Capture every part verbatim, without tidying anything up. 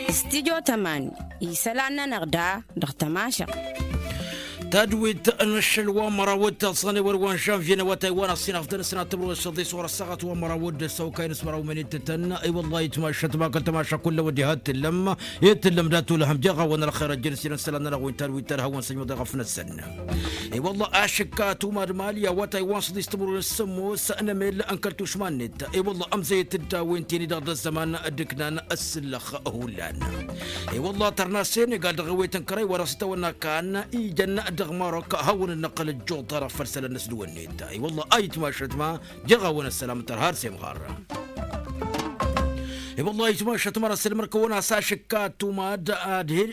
Stidyo tămani isălan-nănăɣ da dăɣ-tămašăɣt. Tadwit n-ašăl wa măraw d-taẓẓan i-wăr wa n-žanvye n-awătay wa n-asinaf d-anăsnat tămrăwăs s-aḍis ɣur-ăssaɣăt wa măraw d-săwkay n-asmăraw mănit tăn i-wăllah itmašăt ma kăl-tămaša kullăwăn diha t-tǝllăm i-tǝllăm dat-olăhăm jeɣ-awăn ălxer ăjjăn s-inăn isălan-nănăɣ wi n-tadwit tărhăwăn săjmăḍ i-ɣăf-năsăn. I-wălla ašǝkka tumad mali awătay wa n-săḍis timǝrwen s-sămoos n-emel n-kăl-tušma-net. I-wălla ămzăyăt-dd a-wen tini-dăɣ d-ăzzăman d-ǝknan ăssǝllăx hullan. I-wălla tărna senegal dăɣ-ewet n-kărăy wa dăɣ-s itawănna kan ijăn dăɣ-marok hawăn-dd-năqqăl ăjjuḍ-ta-dăɣ făll-isălan n-ăsdǝwănnet. I-wălla a itmašăt ma jeɣ-awăn ăssălam n-tărha ar s-emɣar. I-wălla a itmašăt ma n-ăssălmăr-kăwăn a-s ašǝkka tumad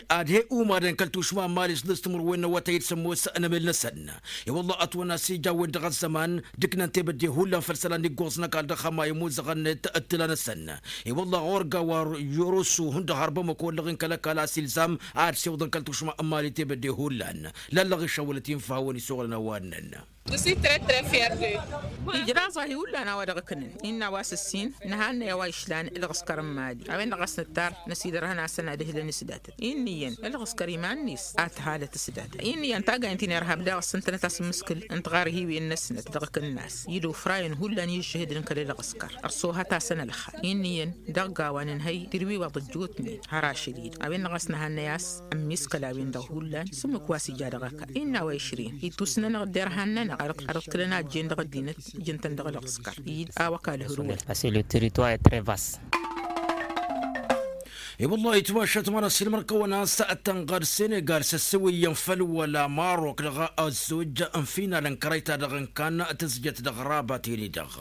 ad-he-umadăn kăl-tušma n-mali s-dăɣ-s timǝrwen n-awătay d-sămoos n-emel-năsăn. I-wălla ătwănna s-ija a-wen-dăɣ ăzzăman d-ǝknan tebădde hullan făll-isălan iggoẓ n-ăkall dăɣ-hămay ămoozăɣăn-net ǝttǝla-năsăn. I-wălla ɣur-gawa yorosu hundăɣ har bamăko ăllăɣen kăl-ăkall a-s ilzam ad-siwǝḍăn kăl-tušma n-mali tebădde hullan. Lallăɣ išăwwălăt infa a-wen isoɣlăn a-wa ǝnnăn. Ijraẓ-ahi hullan a-wa dăɣ-ǝknăn innă a-wa s-ǝssin nǝhannăy a-wa išlan ǝlɣǝskăr n-mali a-wen-dăɣ a-s nǝttar năsidărhăn-asăn ad-ǝhlǝn s-datăt innă iyyăn ǝlɣǝskăr iman-net a tǝhalăt s-datăt innă iyyăn taggayen ti n-irhab daɣ ăssǝntănăt-as ǝmmǝskǝl n-tiɣarhiwen-năsnăt dăɣ-akǝnnas id-ofrayăn hullan i-ǝžžǝhǝd n-kăl-ǝlɣǝskăr ărsohăt-asăn ălxal innă iyyăn dăɣ-gawa nǝnhăy tirwiwăḍ ăjjootnen har ašăl-i-dăɣ a-wen-dăɣ a-s nǝhannăy a-s ămmiskăl a-wen-dăɣ hullan s-ǝmmǝk wa s-ija dăɣ-ăkall innă a-wa išrǝyăn ittusnănăɣ dd-irhan-nănăɣ ad-ăḍkǝlăn a ăjjeen dăɣ-ăddinăt ǝjǝn-tăn dăɣ-ălɣǝskăr id a-wa k-alhǝrǝwăn. Parce que le territoire est très vaste. I-wăllah itmašăt ma n-ăssiilmăr-kăwăn a-s tănɣăd senegal s-ăssewăyyăn făll-wăla marok dăɣ-ăzzojj n-final n-kărăy-ta-dăɣ n-kan tǝzjăt dăɣ-rabat-in-i-dăɣ.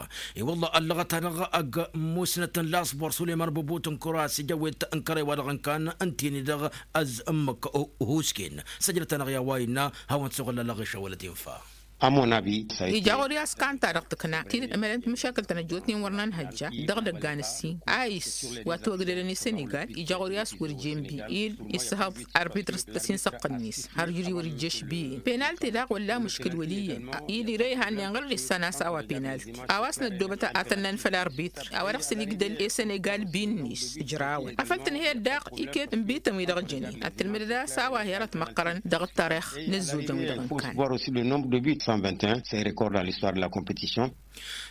I-wăllah ăllăɣăt-anăɣ ăgg-musnăt n-lasbor suleyman bobot n-kura a-s ija ăwet n-kărăy-wa-dăɣ n-kan ǝnta-in-i-dăɣ ăzz ǝmmǝk husken. Săjdăt-anăɣ i-a-wa innă hawăn-t-suɣǝl ăllăɣ išăwălăt infa. Ija ɣur-i a-s kanta dăɣ-tǝkna tidǝt ămălăn timǝšakǝl-tăn ăjjootnen wăr nănhăjja dăɣ-idăggan ǝssin a-s wa t-wăgdădăn i-sănegal ija ɣur-i a-s wăr jenbi-i issăhăḍ arbitr s-tăsinsăɣt-net har juri wăr-ijjăš bi-en penalti daɣ wălla mǝškǝl wăl' iyyăn i-dirăy hannen ɣǝr-dd issan a-s a-wa penalti a-wa s-năddoobăt ad-tănnăn făll-arbitr a-wa dăɣ-s ǝlǝgdăl i-sănegal bi-net ǝjrawăn afăl tǝnhăyăt daɣ iket n-bităn-wi-dăɣ jănen ad-tǝlmǝdăd a-s a-wa hi-arăt măqqărăn dăɣ-ǝttărix n-ǝzzojăn-wi-dăɣ n-kan. Voir aussi le nombre de buts cent vingt et un, c'est un record dans l'histoire de la compétition.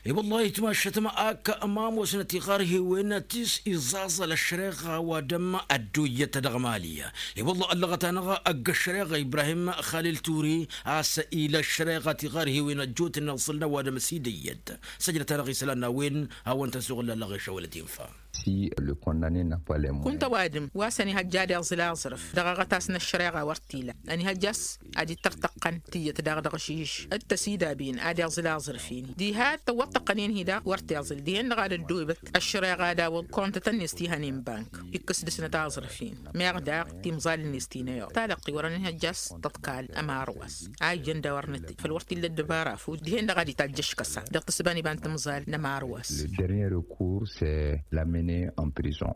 I-wăllah itmašăt ma ak ămamosnăt iɣarhiwen ti s-iẓẓaẓăl ăššăreɣa wa dăm ădduyyăt dăɣ-mali. I-wăllah ăllăɣăt-anăɣ ăgg-ăššăreɣa ibrahim xalil turi a-s ila ăššăreɣa ti iɣarhiwen ăjjootnen ăẓẓǝlnăw wa dăm s-idăyyăt. Săjdăt-anăɣ isălan n-a-wen hawăn-tăn-suɣǝl ăllăɣ išăwălăt infa. Si le condamne n-a pas les moyens. Kunta ăwadǝm wa s-ănihăjja ad-iẓǝl aẓrǝf dăɣ-aɣătas n-ăššăreɣa wăr t-ila ănihăjja a-s ad-ittărtăqqăn tiyyăt daɣ dăɣ-ašiš d-tăsidabin ad-iẓǝl aẓrǝf-in diha tăwwăḍ tăqqăn-in-hi daɣ wăr t-iẓǝl dihen-dăɣ ad-ăddoobăt ăššăreɣa ad-awăḍ kontăt-net ti hănen bank ikkǝs dăɣ-snăt aẓrǝf-in meɣ daɣ timẓal-net ti n-ăyăḍ talăqqi wăr-ănihăjja a-s tăḍkal ămar wa-s a ijăn daw-arnăt făl wăr t-illa ăddăbara fud dihen-dăɣ ad-itajj ăškăsa dăɣ-tǝssǝba n-iba n-timẓal n-ămar wa-s. Le dernier recours c'est l'amener en prison.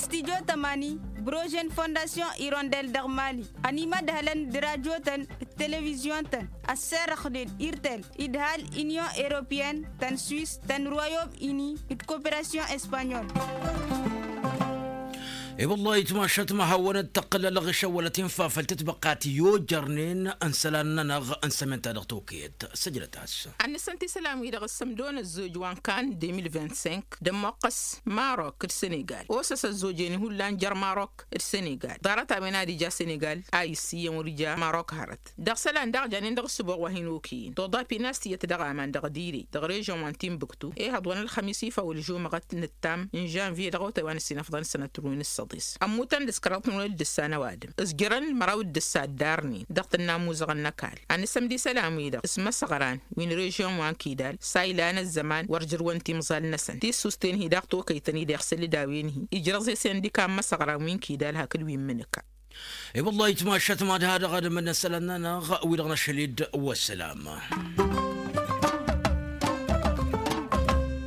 Studyo tămani brojen fondasyon irondel dăɣ-mali ănimădhălăn d-radyo-tăn d-televizyon-tăn ăsserăxnen irtel idhal inyon europeyăn tăn-swis tăn-royom ini d-koperasyon espanyol. I-wăllah itmašăt ma hawăn-dd-tăqqǝl ălɣǝšăwălăt infa făll-tǝtbăqqa ti ojărnen n-isălan-nănăɣ n-sămenta dăɣ-tokăyăt săjdăt-as. Ad-nǝssănt isălan-wi-dăɣ ǝssǝmdon ăzzoj wa n-kan deux mille vingt-cinq d-ămmoqqăs marok d-senegal osăs ăzzojen hullan jer-marok d-senegal ḍarăt-a-wen ad-ija senegal a iss'-iyyăn wăr ija marok hărăt. Dăɣ-isălan daɣ janen dăɣ-ǝssǝboɣ wa hin-okăyăn toḍa pinas tiyyăt dăɣ-aman dăɣ-direy dăɣ-režyon wa n-timbuktu ehăḍ wa n-ălxămis ifawǝl žumăɣăt nǝttam n-žănvye dăɣ-otay wa n-ăssinăfḍăn sănăt-win ǝssăḍis ămmutăn d-ǝskăraḍ n-wăr dd-ǝssan ăwadǝm ǝzjărăn măraw d-ǝssa ăddarnen dăɣ-tǝnna ămuzăɣăn n-ăkall. Ad-nǝsǝmd isălan-wi-dăɣ s-imăsăɣran wi n-režyon wa n-kidal s-a ilan ăzzăman wăr jărwăn timẓal-năsăn tissusten-hi daɣ tokăytăn-i-dăɣ s-ǝlǝd a-wen-hi ijrăẓ-e sendika n-imăsăɣran wi n-kidal hakd wi n-imǝnǝka. I-wăllah itmašăt ma d-ha-dăɣ ad-ămǝnna isălan-nănăɣ wi-dăɣ năšhăl-dd. Wăssălam.